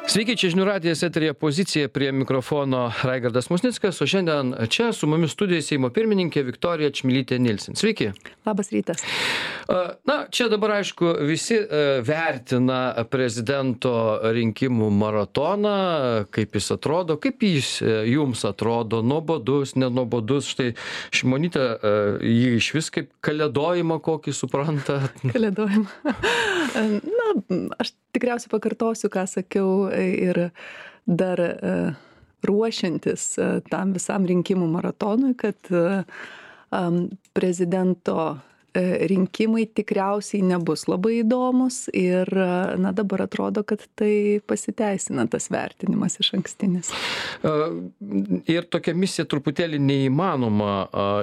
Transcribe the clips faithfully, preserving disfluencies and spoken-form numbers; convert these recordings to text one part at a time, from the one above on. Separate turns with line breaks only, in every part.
Sveiki, čia žinių radijas, eteryje Pozicija, prie mikrofono Raigardas Musnickas, o šiandien čia su mumis studijoje Seimo pirmininkė Viktorija Čmilytė-Nilsen. Sveiki.
Labas rytas.
Na, čia dabar, aišku, visi vertina prezidento rinkimų maratoną, kaip jis atrodo, kaip jis jums atrodo, nuobodus, nenuobodus. Štai Šimonytė jį iš vis kaip kalėdojimą kokį supranta.
Kalėdojimą. Na, aš tikriausiai pakartosiu, ką sakiau ir dar ruošiantis tam visam rinkimų maratonui, kad prezidento rinkimai tikriausiai nebus labai įdomus ir, na, dabar atrodo, kad tai pasiteisina tas vertinimas iš ankstinis.
Ir tokia misija truputėlį neįmanoma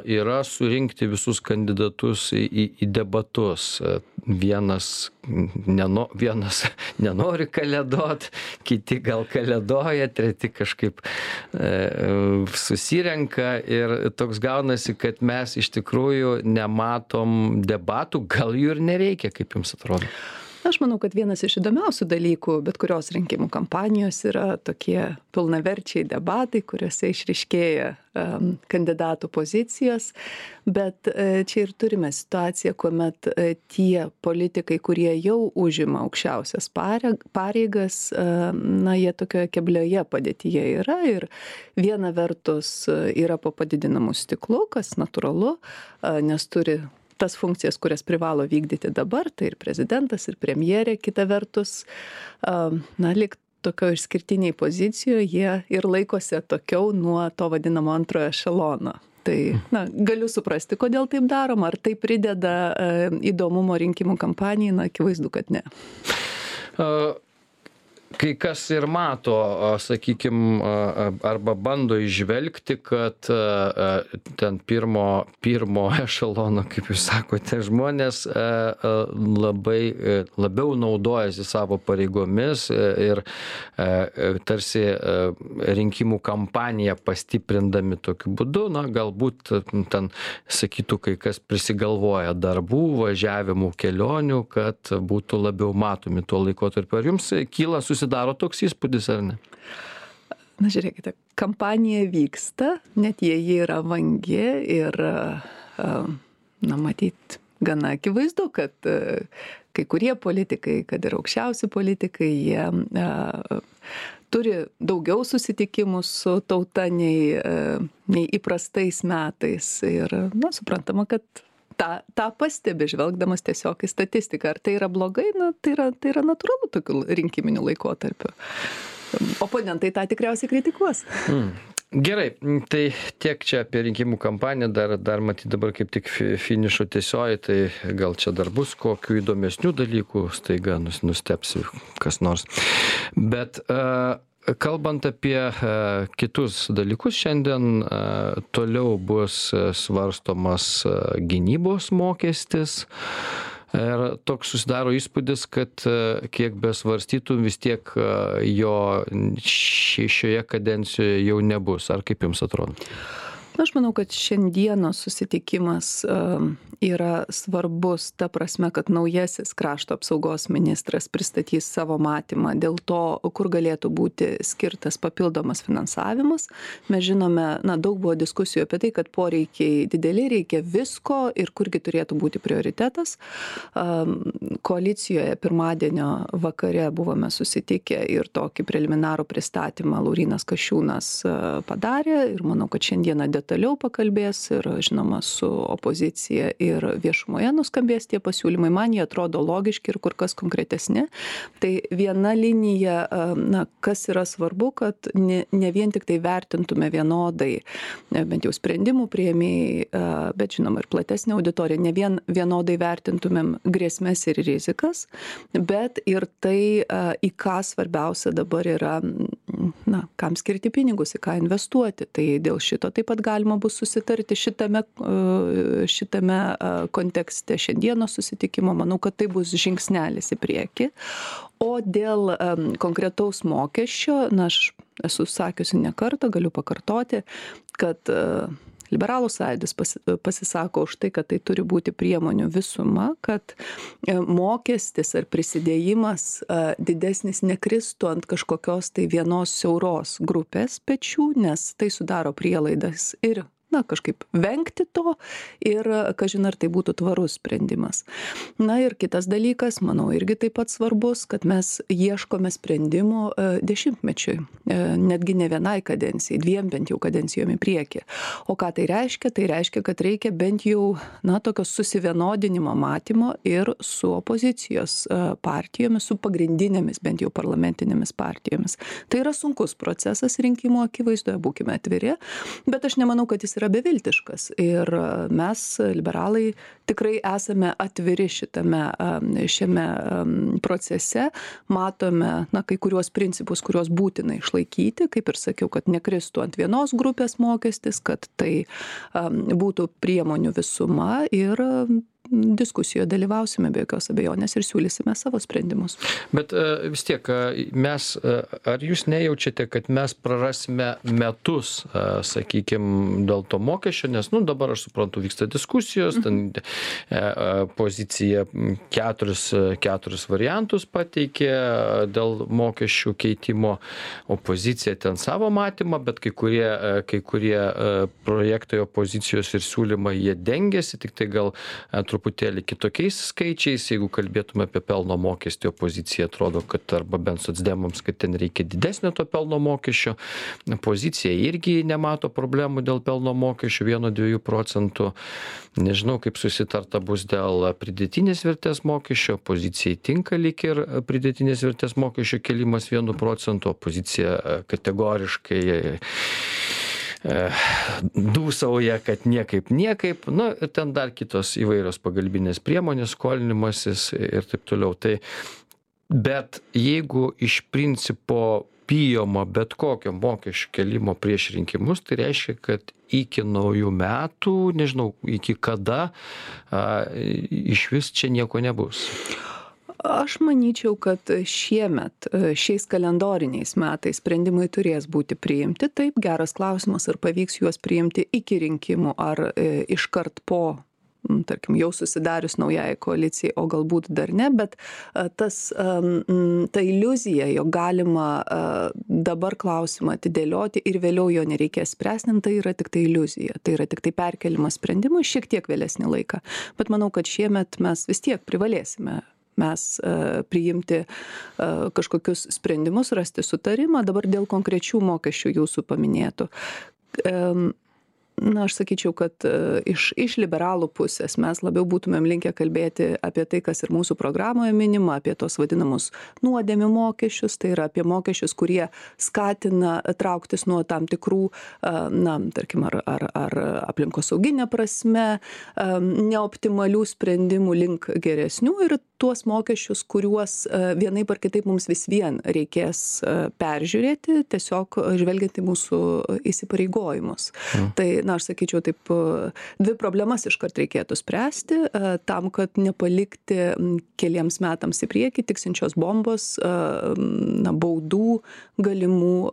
yra surinkti visus kandidatus į, į debatus. Vienas, neno, vienas nenori kalėdot, kiti gal kalėdoja, treti kažkaip e, susirenka ir toks gaunasi, kad mes iš tikrųjų nematom debatų, gal jų ir nereikia, kaip jums atrodo?
Aš manau, kad vienas iš įdomiausių dalykų bet kurios rinkimų kampanijos yra tokie pilnaverčiai debatai, kuriuose išryškėja um, kandidatų pozicijos, bet uh, čia ir turime situaciją, kuomet uh, tie politikai, kurie jau užima aukščiausias pareigas, uh, na, jie tokioje keblioje padėtyje yra ir viena vertus uh, yra po padidinamu stiklu, kas natūralu, uh, nes turi tas funkcijas, kurias privalo vykdyti dabar, tai ir prezidentas, ir premjerė, kita vertus, na, lyg tokio išskirtiniai pozicijoje, jie ir laikosi atokiau nuo to vadinamo antrojo ešelono. Tai, na, galiu suprasti, kodėl taip daroma, ar tai prideda įdomumo rinkimų kampanijai, na, akivaizdu, kad ne.
Uh... Kai kas ir mato, sakykim, arba bando įžvelgti, kad ten pirmo, pirmo ešelono, kaip jūs sakote, žmonės labai, labiau naudojasi savo pareigomis ir tarsi rinkimų kampaniją pastiprindami tokiu būdu, na, galbūt ten, sakytų, kai kas prisigalvoja darbų, važiavimų, kelionių, kad būtų labiau matomi tuo laikotarpiu. Ar jums kyla susitikti? Daro toks įspūdis, ar ne?
Na, žiūrėkite, kampanija vyksta, net jei jie yra vangi ir, na, matyt, gana akivaizdu, kad kai kurie politikai, kad ir aukščiausi politikai, jie turi daugiau susitikimų su tauta nei, nei įprastais metais ir, na, suprantama, kad tą, tą pastebi, žvelgdamas tiesiog į statistiką. Ar tai yra blogai? Na, tai yra, tai yra natūralu tokiu rinkiminiu laikotarpiu. Oponentai tą tikriausiai kritikuos.
Mm. Gerai, tai tiek čia apie rinkimų kampaniją, dar, dar matyti dabar kaip tik finišo tiesioji, tai gal čia dar bus kokių įdomesnių dalykų, staiga nustepsi kas nors. Bet uh, kalbant apie uh, kitus dalykus, šiandien uh, toliau bus svarstomas uh, gynybos mokestis. Ir toks susidaro įspūdis, kad uh, kiek besvarstytum, vis tiek uh, jo šioje kadencijoje jau nebus. Ar kaip jums atrodo?
Aš manau, kad šiandienos susitikimas yra svarbus ta prasme, kad naujasis krašto apsaugos ministras pristatys savo matymą dėl to, kur galėtų būti skirtas papildomas finansavimas. Mes žinome, na, daug buvo diskusijų apie tai, kad poreikiai dideli, reikia visko ir kurgi turėtų būti prioritetas. Koalicijoje pirmadienio vakare buvome susitikę ir tokį preliminarų pristatymą Laurynas Kasčiūnas padarė ir manau, kad šiandieną detaliau pakalbės ir, žinoma, su opozicija ir viešumoje nuskambės tie pasiūlymai. Man jie atrodo logiški ir kur kas konkretesni. Tai viena linija, na, kas yra svarbu, kad ne, ne vien tik tai vertintume vienodai, bent jau sprendimų priėmėjai, bet, žinoma, ir platesnė auditorija, ne vien vienodai vertintumėm grėsmes ir rizikas, bet ir tai, į ką svarbiausia dabar yra, na, kam skirti pinigus, į ką investuoti. Tai dėl šito taip pat galima bus susitarti šitame, šitame kontekste šiandieno susitikimo. Manau, kad tai bus žingsnelis į priekį. O dėl um, konkretaus mokesčio, na, aš esu sakiusi ne kartą, galiu pakartoti, kad uh, Liberalų sąjūdis pasi pasisako už tai, kad tai turi būti priemonių visuma, kad mokestis ar prisidėjimas didesnis nekristų ant kažkokios tai vienos siauros grupės pečių, nes tai sudaro prielaidas ir na, kažkaip vengti to ir, kažin ar tai būtų tvarus sprendimas. Na ir kitas dalykas, manau, irgi taip pat svarbus, kad mes ieškome sprendimų dešimtmečiui, netgi ne vienai kadencijai, dviem bent jau kadencijom į priekį. O ką tai reiškia? Tai reiškia, kad reikia bent jau, na, tokio susivienodinimo matymo ir su opozicijos partijomis, su pagrindinėmis bent jau parlamentinėmis partijomis. Tai yra sunkus procesas rinkimų akivaizdoje, būkime atviri, bet aš nemanau, kad jis yra beviltiškas ir mes, liberalai, tikrai esame atviri šitame, šiame procese, matome, na, kai kuriuos principus, kuriuos būtina išlaikyti, kaip ir sakiau, kad nekristų ant vienos grupės mokestis, kad tai būtų priemonių visuma ir diskusijoje dalyvausime be jokios abejonės ir siūlysime savo sprendimus.
Bet uh, vis tiek, uh, mes, uh, ar jūs nejaučiate, kad mes prarasime metus, uh, sakykime, dėl to mokesčio, nes, nu, dabar aš suprantu, vyksta diskusijos, ten uh, pozicija keturis, keturis variantus pateikė dėl mokesčių keitimo, opozicija ten savo matymą, bet kai kurie, uh, kai kurie uh, projektai opozicijos ir siūlymai, jie dengiasi, tik tai gal uh, truputėlį kitokiais skaičiais, jeigu kalbėtume apie pelno mokestį, opozicija atrodo, kad arba bent socdemams, kad ten reikia didesnio to pelno mokesčio, pozicija irgi nemato problemų dėl pelno mokesčio vieno dviejų procentų, nežinau, kaip susitarta bus dėl pridėtinės vertės mokesčio, opozicijai tinka lyg ir pridėtinės vertės mokesčio kelimas vienu procentu, opozicija kategoriškai dūsauja, kad niekaip, niekaip, nu, ten dar kitos įvairios pagalbinės priemonės, skolinimasis ir taip toliau. Tai, bet jeigu iš principo bijoma bet kokio mokesčių kelimo prieš rinkimus, tai reiškia, kad iki naujų metų, nežinau, iki kada, a, iš vis čia nieko nebus.
Aš manyčiau, kad šiemet, šiais kalendoriniais metais sprendimai turės būti priimti. Taip, geras klausimas, ar pavyks juos priimti iki rinkimų, ar e, iškart po, tarkim, jau susidarius naujai koalicijai, o galbūt dar ne, bet a, tas, a, m, ta iliuzija, jog galima a, dabar klausimą atidėlioti ir vėliau jo nereikės spręsti, tai yra tik tai iliuzija. Tai yra tik tai perkelimas sprendimų šiek tiek vėlesnį laiką. Bet manau, kad šiemet mes vis tiek privalėsime mes uh, priimti uh, kažkokius sprendimus, rasti sutarimą. Dabar dėl konkrečių mokesčių jūsų paminėtų. Um, Na, aš sakyčiau, kad uh, iš, iš liberalų pusės mes labiau būtumėm linkę kalbėti apie tai, kas ir mūsų programoje minima, apie tos vadinamus nuodėmių mokesčius, tai yra apie mokesčius, kurie skatina trauktis nuo tam tikrų, uh, na, tarkim, ar, ar, ar aplinkosauginė prasme, um, neoptimalių sprendimų link geresnių ir tuos mokesčius, kuriuos uh, vienaip ar kitaip mums vis vien reikės uh, peržiūrėti, tiesiog žvelgiant į mūsų įsipareigojimus. Mm. Tai na, aš sakyčiau, taip, dvi problemas iškart reikėtų spręsti, tam, kad nepalikti keliems metams į priekį tiksinčios bombos, na, baudų galimų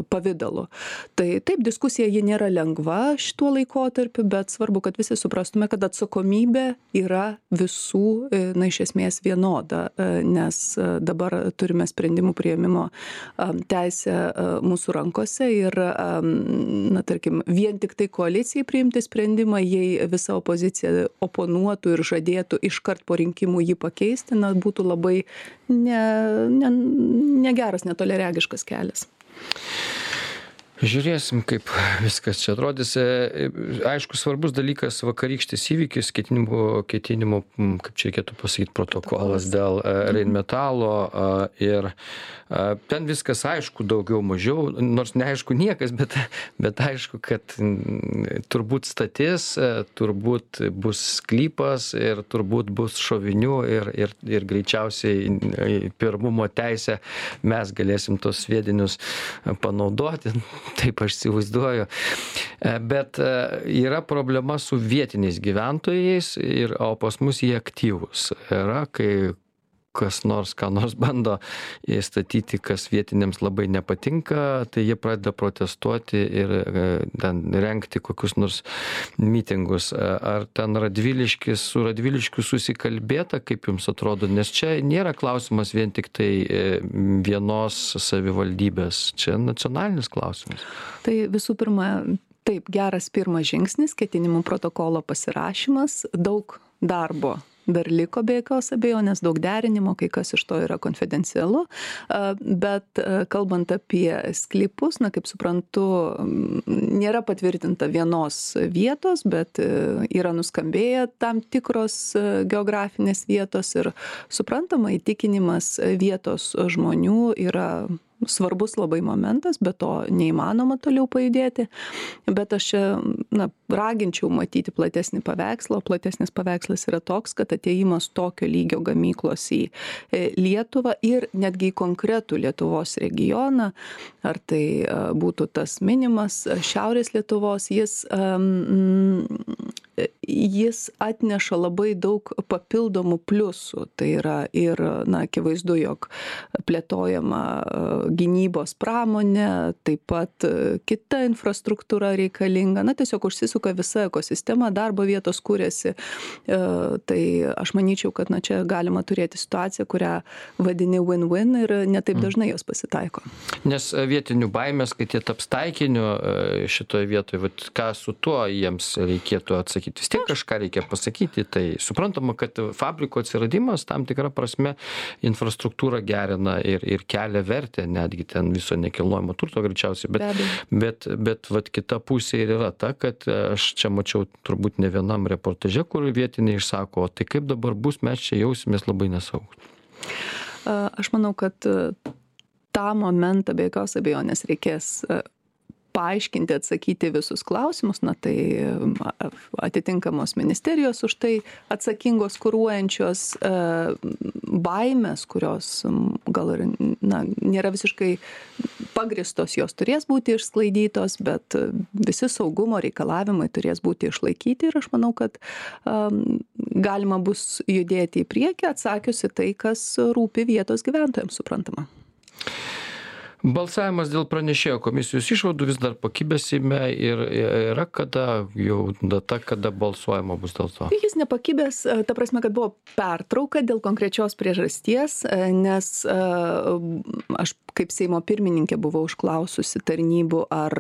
pavidalu. Tai taip, diskusija ji nėra lengva šituo laikotarpiu, bet svarbu, kad visi suprastume, kad atsakomybė yra visų, na, iš esmės vienoda, nes dabar turime sprendimų priėmimo teisę mūsų rankose ir, na, tarkim, vien tik tai koalicijai priimti sprendimą, jei visa opozicija oponuotų ir žadėtų iškart po rinkimų jį pakeisti, na, būtų labai ne, ne, negeras, netoliaregiškas kelias.
Žiūrėsim, kaip viskas čia atrodys. Aišku, svarbus dalykas vakarykštis įvykis, ketinimų, ketinimų, kaip čia reikėtų pasakyti, protokolas dėl Rheinmetalo ir ten viskas aišku, daugiau mažiau, nors neaišku niekas, bet, bet aišku, kad turbūt statys, turbūt bus sklypas ir turbūt bus šovinių ir, ir, ir greičiausiai pirmumo teisę mes galėsim tos sviedinius panaudoti. Taip aš įsivaizduoju. Bet yra problema su vietiniais gyventojais, ir, o pas mus jie aktyvūs. Yra, kai kas nors, ką nors bando įstatyti, kas vietiniams labai nepatinka, tai jie pradeda protestuoti ir ten rengti kokius nors mitingus. Ar ten Radviliškis su Radviliškiu susikalbėta, kaip jums atrodo? Nes čia nėra klausimas vien tik tai vienos savivaldybės, čia nacionalinis klausimas.
Tai visų pirma, taip, geras pirmas žingsnis, ketinimų protokolo pasirašymas, daug darbo dar liko be jokios abejonės, daug derinimo, kai kas iš to yra konfidencialu, bet kalbant apie sklypus, na, kaip suprantu, nėra patvirtinta vienos vietos, bet yra nuskambėję tam tikros geografinės vietos ir suprantama, įtikinimas vietos žmonių yra svarbus labai momentas, bet to neįmanoma toliau pajudėti. Bet aš čia, na, raginčiau matyti platesnį paveikslą, o platesnis paveikslas yra toks, kad atėjimas tokio lygio gamyklos į Lietuvą ir netgi į konkretų Lietuvos regioną, ar tai būtų tas minimas Šiaurės Lietuvos, jis, um, jis atneša labai daug papildomų pliusų. Tai yra ir, na, akivaizdu, jog plėtojama gynybos pramonė, taip pat kita infrastruktūra reikalinga, na, tiesiog užsisuka visa ekosistema, darbo vietos kūrėsi. Tai aš manyčiau, kad, na, čia galima turėti situaciją, kurią vadini win-win ir netaip dažnai jos pasitaiko.
Nes vietinių baimės, kad jie taps taikiniu šitoje vietoje, vat, ką su tuo jiems reikėtų atsakyti. Vis tiek kažką reikia pasakyti, tai suprantama, kad fabriko atsiradimas tam tikrą prasme infrastruktūrą gerina ir, ir kelia vertę, netgi ten viso nekilnojamo turto greičiausiai, bet, bet, bet vat, kita pusė ir yra ta, kad aš čia mačiau turbūt ne vienam reportaže, kur vietiniai išsako, tai kaip dabar bus, mes čia jausimės labai nesaugus.
Aš manau, kad tą momentą be jokios abejonės reikės paaiškinti, atsakyti visus klausimus, na tai atitinkamos ministerijos už tai atsakingos, kuruojančios baimės, kurios gal ir, na, nėra visiškai pagristos, jos turės būti išsklaidytos, bet visi saugumo reikalavimai turės būti išlaikyti ir aš manau, kad um, galima bus judėti į priekį, atsakiusi tai, kas rūpi vietos gyventojams, suprantama.
Balsavimas dėl pranešėjo komisijos išvadų vis dar pakibęs Seime ir yra kada jau data, kada balsuojama bus dėl to?
Jis nepakibęs, ta prasme, kad buvo pertrauka dėl konkrečios priežasties, nes aš kaip Seimo pirmininkė buvau užklaususi tarnybų, ar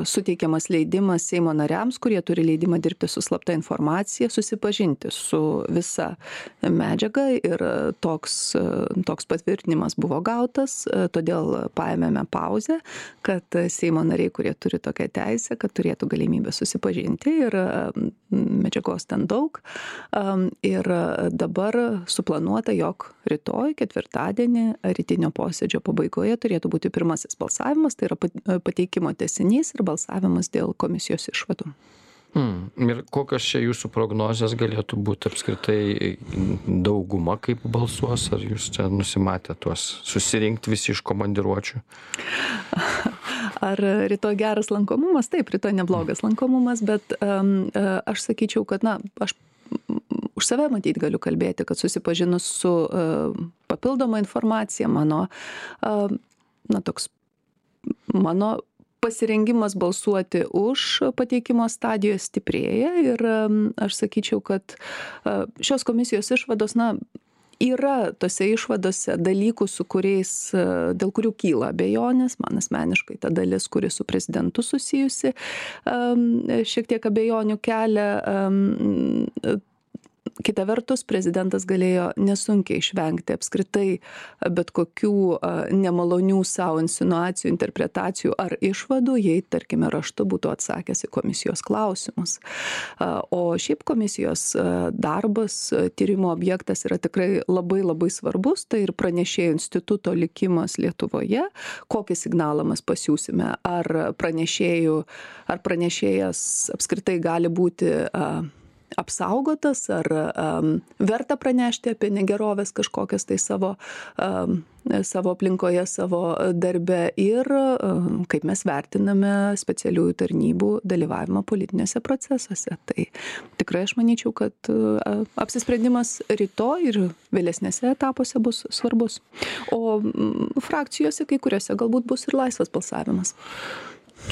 suteikiamas leidimas Seimo nariams, kurie turi leidimą dirbti su slapta informacija, susipažinti su visa medžiaga ir toks, toks patvirtinimas buvo gautas, todėl paėmėme pauzę, kad Seimo nariai, kurie turi tokią teisę, kad turėtų galimybę susipažinti ir medžiagos ten daug. Ir dabar suplanuota, jog rytoj, ketvirtadienį, rytinio posėdžio pabaigoje turėtų būti pirmasis balsavimas, tai yra pateikimo tęsinys ir balsavimas dėl komisijos išvadų.
Hmm. Ir kokios čia jūsų prognozės galėtų būti apskritai dauguma, kaip balsuos, ar jūs čia nusimatę tuos susirinkti visi iš komandiruočių?
Ar rytoj geras lankomumas? Taip, rytoj neblogas lankomumas, bet um, aš sakyčiau, kad, na, aš už save matyti galiu kalbėti, kad susipažinus su uh, papildoma informacija, mano, uh, na, toks, mano pasirengimas balsuoti už pateikimo stadijoje stiprėja ir aš sakyčiau, kad šios komisijos išvados, na, yra tose išvadose dalykų, su kuriais, dėl kurių kyla abejonės, man asmeniškai ta dalis, kuri su prezidentu susijusi, šiek tiek abejonių kelia. Kita vertus, prezidentas galėjo nesunkiai išvengti apskritai bet kokių nemalonių savo insinuacijų, interpretacijų ar išvadų, jei, tarkime, raštu būtų atsakęs į komisijos klausimus. O šiaip komisijos darbas, tyrimo objektas yra tikrai labai labai svarbus, tai ir pranešėjų instituto likimas Lietuvoje, kokį signalą mes pasiūsime, ar pranešėjų, ar pranešėjas apskritai gali būti apsaugotas, ar um, verta pranešti apie negerovės kažkokias tai savo, um, savo aplinkoje, savo darbe ir um, kaip mes vertiname specialiųjų tarnybų dalyvavimą politinėse procesuose. Tai tikrai aš manyčiau, kad uh, apsisprendimas rytoj ir vėlesnėse etapuose bus svarbus. O um, frakcijose kai kuriuose galbūt bus ir laisvas balsavimas.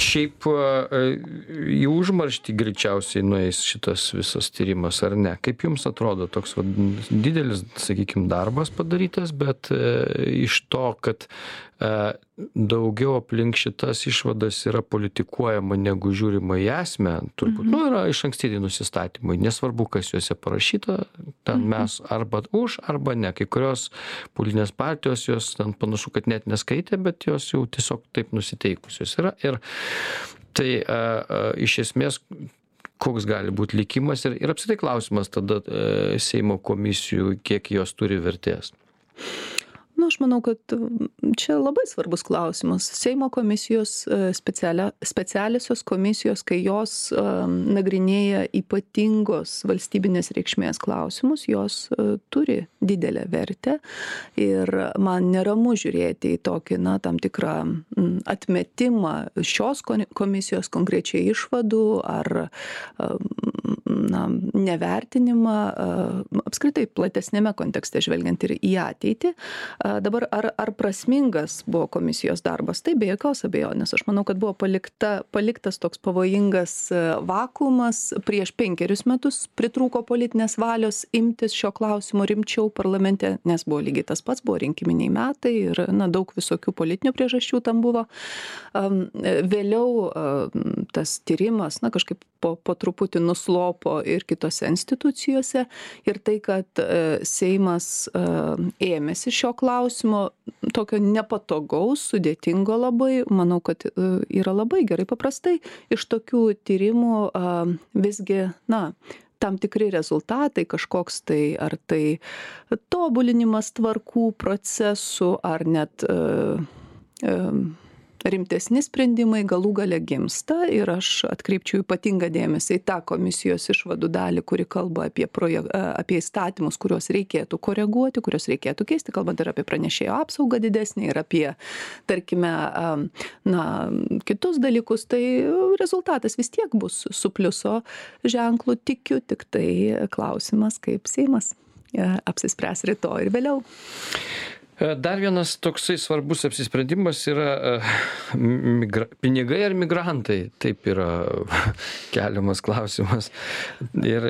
Šiaip į užmarštį greičiausiai nueis šitas visas tyrimas, ar ne? Kaip jums atrodo toks va, didelis, sakykime, darbas padarytas, bet e, iš to, kad e, daugiau aplink šitas išvadas yra politikuojama negu žiūrima į esmę, turbūt, mhm. nu, yra iš ankstiniai nusistatymai, nesvarbu, kas juose parašyta, ten mhm. mes arba už, arba ne. Kai kurios politinės partijos jos ten panašu, kad net neskaitė, bet jos jau tiesiog taip nusiteikusios yra. Ir tai a, a, iš esmės, koks gali būti likimas ir, ir apskritai klausimas tada e, Seimo komisijų, kiek jos turi vertės.
Na, aš manau, kad čia labai svarbus klausimas. Seimo komisijos, specialia, specialiosios komisijos, kai jos um, nagrinėja ypatingos valstybinės reikšmės klausimus, jos uh, turi didelę vertę ir man neramu žiūrėti į tokį, na, tam tikrą m, atmetimą šios komisijos konkrečiai išvadų ar um, na, nevertinimą uh, apskritai platesnėme kontekste žvelgiant ir į ateitį. Dabar ar, ar prasmingas buvo komisijos darbas? Tai be jokios abejonės. Aš manau, kad buvo palikta, paliktas toks pavojingas vakuumas. Prieš penkerius metus pritrūko politinės valios imtis šio klausimo rimčiau parlamente, nes buvo lygiai tas pats, buvo rinkiminiai metai ir na, daug visokių politinių priežasčių tam buvo. Vėliau tas tyrimas na, kažkaip po, po truputį nuslopo ir kitose institucijose ir tai, kad Seimas ėmėsi šio klausimo, klausimo tokio nepatogaus, sudėtingo labai, manau, kad yra labai gerai. Paprastai iš tokių tyrimų visgi, na, tam tikri rezultatai, kažkoks tai, ar tai tobulinimas tvarkų procesų, ar net uh, uh, rimtesni sprendimai galų gale gimsta ir aš atkreipčiau ypatingą dėmesį į tą komisijos išvadų dalį, kuri kalba apie, projek- apie įstatymus, kuriuos reikėtų koreguoti, kuriuos reikėtų keisti, kalbant ir apie pranešėjo apsaugą didesnį ir apie, tarkime, na, kitus dalykus, tai rezultatas vis tiek bus su pliuso ženklu, tikiu, tik tai klausimas, kaip Seimas apsispręs rytoj ir vėliau.
Dar vienas toksai svarbus apsisprendimas yra migra... pinigai ar migrantai. Taip yra keliamas klausimas. Ir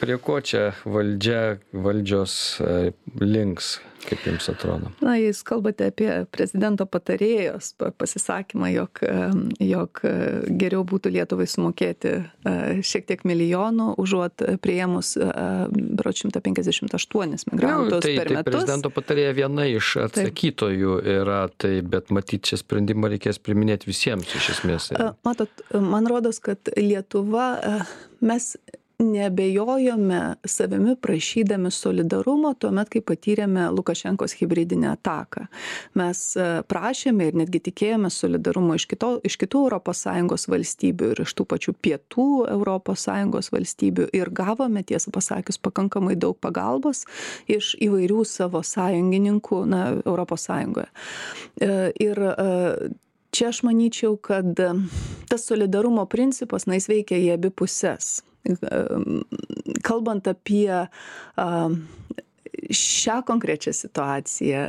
prie ko čia valdžia, valdžios links, kaip jums atrodo?
Na, jūs kalbate apie prezidento patarėjos pasisakymą, jog, jog geriau būtų Lietuvai sumokėti šiek tiek milijonų, užuot priėmus berods šimtą penkiasdešimt aštuonis migrantus
tai,
per
tai
metus.
Prezidento patarėja viena iš atsakytojų yra, tai, bet matyt, čia sprendimą reikės priminėti visiems iš esmės.
Matot, man rodos, kad Lietuva, mes neabejojome savimi prašydami solidarumo tuomet, kai patyrėme Lukašenkos hibridinę ataką. Mes prašėme ir netgi tikėjome solidarumo iš, kito, iš kitų Europos Sąjungos valstybių ir iš tų pačių pietų Europos Sąjungos valstybių ir gavome, tiesą pasakius, pakankamai daug pagalbos iš įvairių savo sąjungininkų na, Europos Sąjungoje. Ir čia aš manyčiau, kad tas solidarumo principas, na, jis veikia į abi puses. Kalbant apie šią konkrečią situaciją,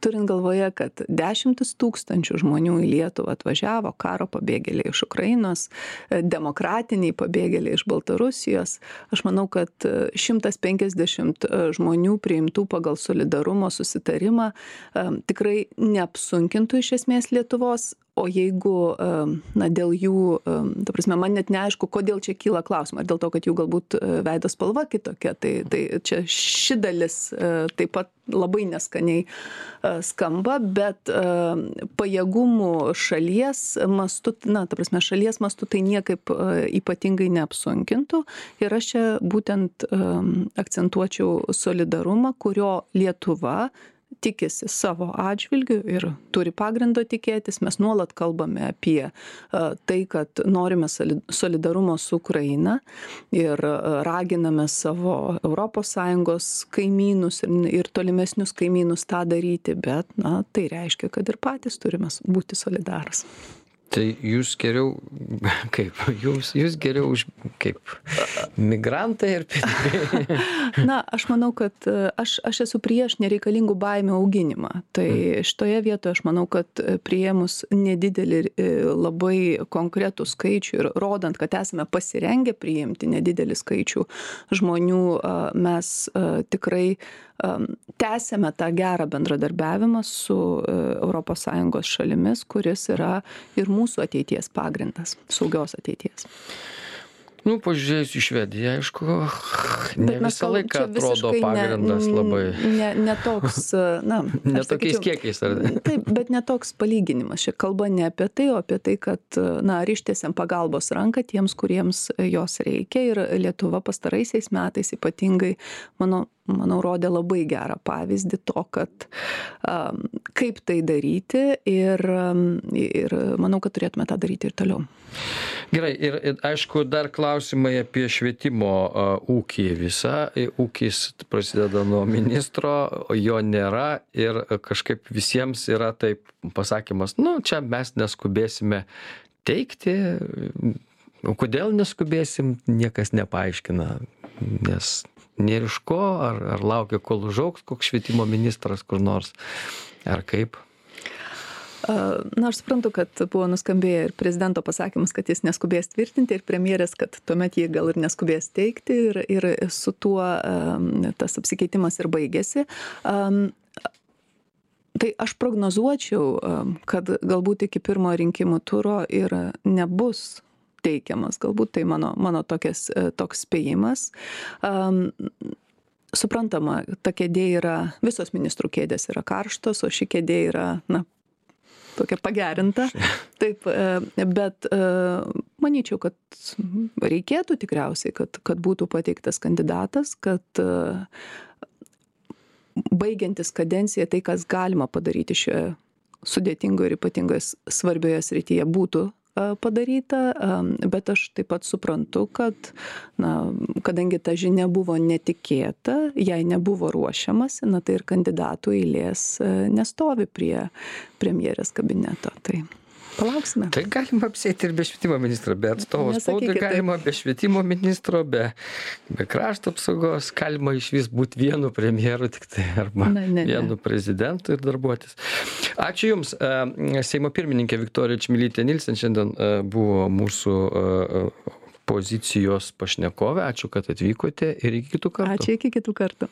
turint galvoje, kad dešimtis tūkstančių žmonių į Lietuvą atvažiavo, karo pabėgėliai iš Ukrainos, demokratiniai pabėgėliai iš Baltarusijos, aš manau, kad šimtas penkiasdešimt žmonių priimtų pagal solidarumo susitarimą tikrai neapsunkintų iš esmės Lietuvos. O jeigu, na, dėl jų, ta prasme, man net neaišku, kodėl čia kyla klausimą, ar dėl to, kad jų galbūt veido spalva kitokia, tai, tai čia ši dalis taip pat labai neskaniai skamba, bet pajėgumų šalies mastu, na, ta prasme, šalies mastu tai niekaip ypatingai neapsunkintų ir aš čia būtent akcentuočiau solidarumą, kurio Lietuva tikisi savo atžvilgiu ir turi pagrindo tikėtis. Mes nuolat kalbame apie tai, kad norime solidarumo su Ukraina ir raginame savo Europos Sąjungos kaimynus ir, ir tolimesnius kaimynus tą daryti, bet na, tai reiškia, kad ir patys turime būti solidarūs.
Tai jūs geriau, kaip, jūs, jūs geriau už, kaip, migrantai ir pinigai?
Na, aš manau, kad aš, aš esu prieš nereikalingų baimių auginimą. Tai šitoje vietoje aš manau, kad priėmus nedidelį labai konkretų skaičių ir rodant, kad esame pasirengę priimti nedidelį skaičių žmonių, mes tikrai tęsėme tą gerą bendradarbiavimą su Europos Sąjungos šalimis, kuris yra ir mūsų ateities pagrindas, saugios ateities.
Nu, pažiūrėjus į Švediją, aišku, ne visą laiką atrodo pagrindas
ne,
labai.
Ne, ne toks, na.
Ne tokiais kiekiais, ar ne?
Taip, bet ne toks palyginimas. Šia kalba ne apie tai, o apie tai, kad, na, ryštiesiam pagalbos ranką tiems, kuriems jos reikia. Ir Lietuva pastaraisiais metais ypatingai, mano, manau, rodė labai gerą pavyzdį to, kad um, kaip tai daryti ir, um, ir manau, kad turėtume tą daryti ir toliau.
Gerai, ir, ir aišku, dar klausimai apie švietimo uh, ūkį visą. Ūkis prasideda nuo ministro, jo nėra ir kažkaip visiems yra taip pasakymas, nu, čia mes neskubėsime teikti. Kodėl neskubėsim, niekas nepaaiškina, nes nėra iš ko, ar, ar laukia, kol užaugs koks švietimo ministras kur nors, ar kaip?
Na, aš suprantu, kad buvo nuskambėję ir prezidento pasakymas, kad jis neskubės tvirtinti, ir premjerės, kad tuomet jie gal ir neskubės teikti, ir, ir su tuo um, tas apsikeitimas ir baigėsi. Um, tai aš prognozuočiau, um, kad galbūt iki pirmo rinkimų turo ir nebus teikiamas, galbūt tai mano, mano tokias, toks spėjimas. Um, suprantama, ta kėdė yra, visos ministrų kėdės yra karštos, o ši kėdė yra, na, tokia pagerinta. Taip, bet manyčiau, kad reikėtų tikriausiai, kad, kad būtų pateiktas kandidatas, kad baigiantis kadenciją tai, kas galima padaryti šioje sudėtingoje ir ypatingoje svarbioje srityje, būtų padaryta, bet aš taip pat suprantu, kad, na, kadangi ta žinia buvo netikėta, jai nebuvo ruošiamasi, na, tai ir kandidatų eilės nestovi prie premjerės kabineto. Tai palauksime.
Tai galima apsėti ir be švietimo ministro, be atstovo spaudai galima, be švietimo ministro, be, be krašto apsaugos, galima iš vis būti vienu premjeru, tik tai arba ne, ne, vienu ne. prezidentu ir darbuotis. Ačiū Jums. Seimo pirmininkė Viktorija Čmilytė Nilsen šiandien buvo mūsų pozicijos pašnekovė. Ačiū, kad atvykote ir iki kitų kartų.
Ačiū, iki kitų kartų.